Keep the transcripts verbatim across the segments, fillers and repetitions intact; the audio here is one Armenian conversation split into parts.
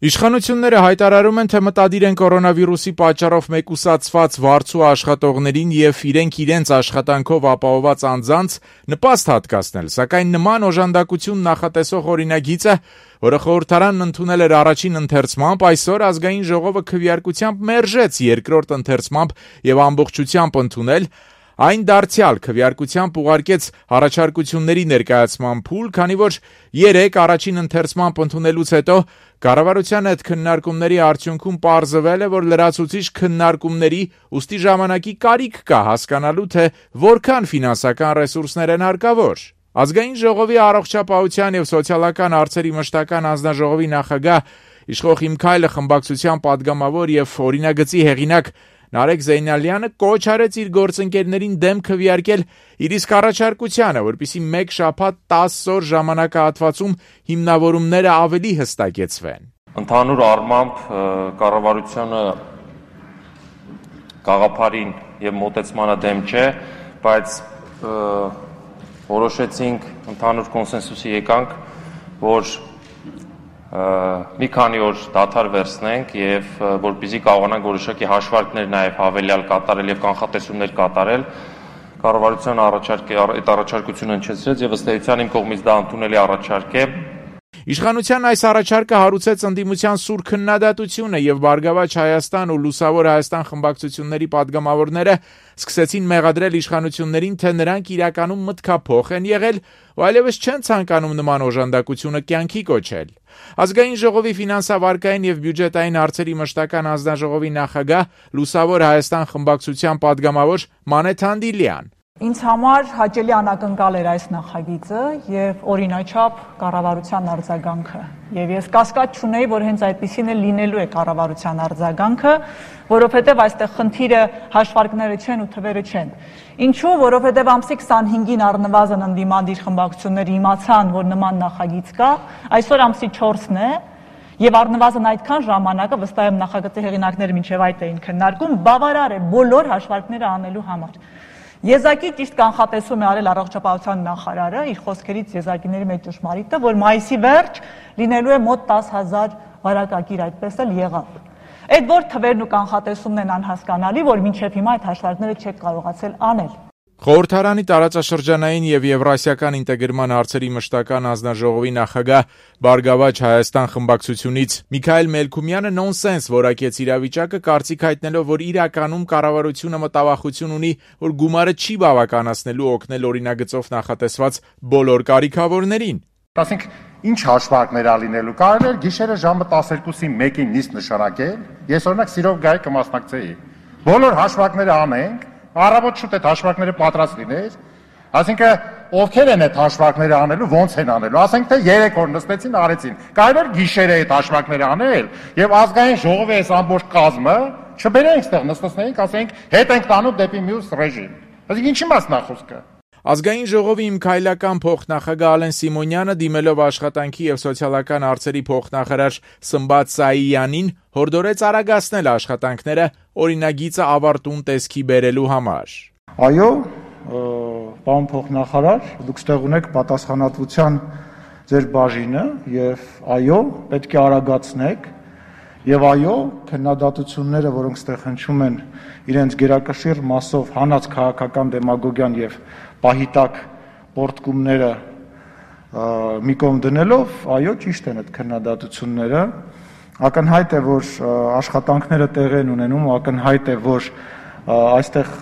Իշխանությունները հայտարարում են, թե մտադիր են կորոնավիրուսի պատճառով մեկուսացված վարձու աշխատողներին եւ իրենք իրենց աշխատանքով ապահովված անձանց նպաստ հատկացնել, սակայն նման օժանդակություն նախատեսող օրինագիծը, որը խորհրդարանն ընդունել էր առաջին ընթերցմամբ, այսօր ազգային ժողովը քվեարկությամբ մերժեց երկրորդ ընթերցմամբ եւ ամբողջությամբ ընդունել, այն դարձյալ քվեարկությամբ ուղարկեց առաջարկությունների ներկայացման փուլ, քանի որ երեք առաջին ընթերցմամբ ընդունելուց հետո կառավարության հետ քննարկումների արդյունքում պարզվել է, որ լրացուցիչ քննարկումների ուստի ժամանակի կարիք կա հասկանալու, թե որքան ֆինանսական ռեսուրսներ են հարկավոր։ Ազգային ժողովի առողջապահության եւ սոցիալական հարցերի մշտական հանձնաժողովի նախագահ Իշխող Իմ Քայլը խմբակցության падգամավոր եւ օրինագծի հեղինակ Նարեկ Զեյնալյանը կոչ արեց իր գործընկերներին դեմ քվեարկել իր իսկ առաջարկությանը, որպեսզի մեկ շաբաթ տասը օր ժամանակահատվածում հիմնավորումները ավելի հստակեցվեն։ Ընդհանուր առմամբ կառավարությունը գաղափարին եւ մոտեցմանը դեմ չէ, բայց որոշեցինք ընդհանուր կոնսենսուսի եկանք, որ մի քանի օր դադար վերցնենք եւ որպեսզի կարողանանք որոշակի հաշվարկներ նաեւ հավելյալ կատարել եւ կանխատեսումներ կատարել, կառավարության առաջարկի այդ առաջարկությունը հնչեցրեց եւ ըստ էության իմ կողմից դա ընդունելի առաջարկ է։ Իշխանության այս առաջարկը հարուցեց ընդդիմության սուր քննադատությունը եւ Բարգավաճ Հայաստան ու Լուսավոր Հայաստան խմբակցությունների падգամավորները սկսեցին մեղադրել իշխանություններին, թե նրանք իրականում մտքափոխ են եղել ու այլևս չեն ցանկանում նման օժանդակությունը կյանքի կոչել։ Ազգային ժողովի ֆինանսավարկային եւ բյուջետային հարցերի մշտական հանձնաժողովի նախագահ Լուսավոր Հայաստան խմբակցության падգամավոր Մանե Թանդիլյան: Ինձ համար հաճելի անակնկալ էր այս նախագիծը եւ օրինաչափ կառավարության արձագանքը։ Եվ ես կասկած չունեի, որ հենց այդպիսին էլ լինելու է կառավարության արձագանքը, որովհետեւ այստեղ խնդիրը հաշվարկները չեն ու թվերը չեն։ Ինչու՞, որովհետեւ ամսի քսանհինգին առնվազն ընդդիմադիր խմբակցությունները իմացան, որ նման նախագիծ կա, այսօր ամսի չորսն է, եւ առնվազն այդքան ժամանակը վստահ եմ նախագծի հեղինակները մինչեւ այդ էին քննարկում, բավարար է բոլոր հաշվարկները անելու համար։ Եզակի ճիշտ կանխատեսում է արել առողջապահության նախարարը, իր խոսքերից եզակիների մեջ ճշմարիտ է, որ մայիսի վերջ լինելու է մոտ տասը հազար վարակակիր, այդպես էլ եղավ։ Այդ որ թվերն ու կանխատեսումն են անհասկանալի, որ մինչև հիմա այդ հաշվարկները չեք կարողացել անել։ Խորհրդարանի տարածաշրջանային եւ եվրասիական ինտեգրման հարցերի մշտական հանձնաժողովի նախագահ Բարգավաճ Հայաստան խմբակցությունից Միքայել Մելքումյանը նոնսենս որակեց իրավիճակը, կարծիք հայտնելով, որ իրականում կառավարությունը մտավախություն ունի, որ գումարը չի բավականացնելու օգնել օրինագծով նախատեսված բոլոր կարիքավորներին։ Ասենք ինչ հաշվարկներ ա լինելու, կարելի է գիշերը ժամը տասներկուսի մեկին նիստ նշանակել, ես օրինակ սիրով գայի կմասնակցեի։ Բոլոր հաշվարկները անենք, առավոտ շուտ այդ հաշվարկները պատրաստ լիներ, ասինքն ովքեր են այդ հաշվարկները անելու, ոնց են անելու, ասենք թե երեք օր նստեցին, արեցին, կարելի է գիշերը այդ հաշվարկները անել եւ ազգային ժողովի այս ամբողջ կազմը չբերենք այդտեղ նստեցնենք, ասենք հետ ենք տանում դեպի մյուս ռեժիմ։ Այսինքն ինչի մասն է խոսքը։ Ազգային ժողովի իմ քայլական փոխնախագահ Ալեն Սիմոնյանը դիմելով աշխատանքի եւ սոցիալական հարցերի փոխնախարար Սմբատ Սաիյանին հորդորեց արագացնել աշխատանքները օրինագիծը ավարտուն տեսքի բերելու համար։ Այո, պարոն փոխնախարար, դուք ստեղ ունեք պատասխանատվության ձեր բաժինը եւ այո, պետք է արագացնեք եւ այո, քննադատությունները, որոնք ստեղ հնչում են իրենց գերակշիռ մասով հանած քաղաքական դեմագոգիան եւ պահիտակ պորտկումները մի կողմ դնելով, այո, ճիշտ են այդ քննադատությունները, ակնհայտ է, որ աշխատանքները տեղ են ունենում, ակնհայտ է, որ այստեղ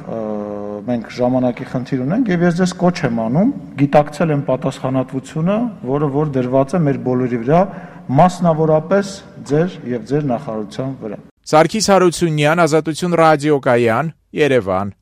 մենք ժամանակի խնդիր ունենք եւ ես ձեզ կոչ եմ անում, գիտակցել եմ պատասխանատվությունը, որը որ դրված է մեր բոլորի վրա, մասնավորապես ձեր եւ ձեր նախարարության վրա։ Սարգիս Հարությունյան, Ազատություն ռադիոկայան, Երևան։